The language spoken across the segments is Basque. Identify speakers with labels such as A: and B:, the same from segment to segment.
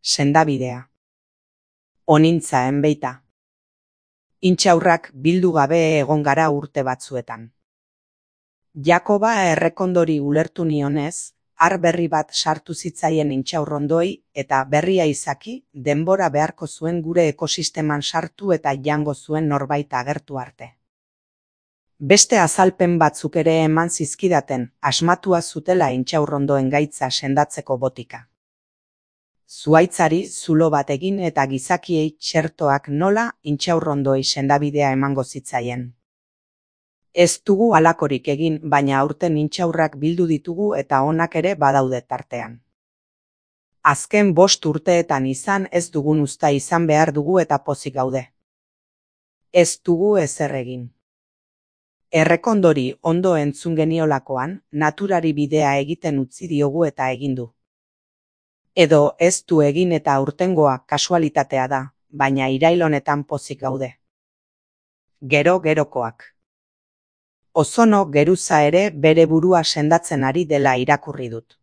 A: sendabidea. Onintza enbeita. Intxaurrak bildu gabe egon gara urte batzuetan. Jakoba errekondori ulertu nionez, har berri bat sartu zitzaien intxaurrondoi eta berria izaki denbora beharko zuen gure ekosisteman sartu eta jango zuen norbait agertu arte. Beste azalpen batzuk ere eman zizkidaten, asmatua zutela intxaurrondoen gaitza sendatzeko botika. Zuhaitzari zulo bat egin eta gizakiei txertoak nola intxaurrondoi sendabidea emango zitzaien. Ez dugu halakorik egin, baina aurten intxaurrak bildu ditugu eta onak ere badaude tartean. Azken 5 urteetan izan ez dugun uzta izan behar dugu eta pozik gaude. Ez dugu ezer egin. Errekondori ondo entzun geniolakoan, naturari bidea egiten utzi diogu eta egin du. Edo ez du egin eta aurtengoa kasualitatea da, baina irail honetan pozik gaude. Gerokoak. Ozono geruza ere bere burua sendatzen ari dela irakurri dut.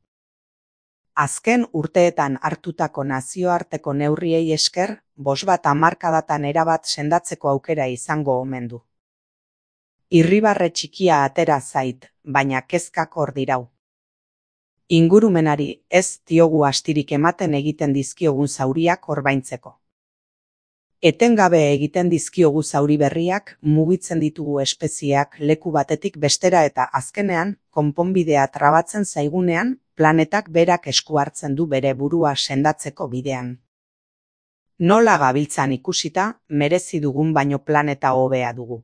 A: Azken urteetan hartutako nazioarteko neurriei esker, 50 hamarkadatan erabat sendatzeko aukera izango omen du. Irribarre txikia atera zait, baina kezkak hor dirau. Ingurumenari ez diogu astirik ematen egiten dizkiogun zauriak orbaintzeko. Etengabe egiten dizkiogu zauri berriak, mugitzen ditugu espezieak leku batetik bestera eta azkenean, konponbidea trabatzen zaigunean, planetak berak esku hartzen du bere burua sendatzeko bidean. Nola gabiltzan ikusita, merezi dugun baino planeta hobea dugu.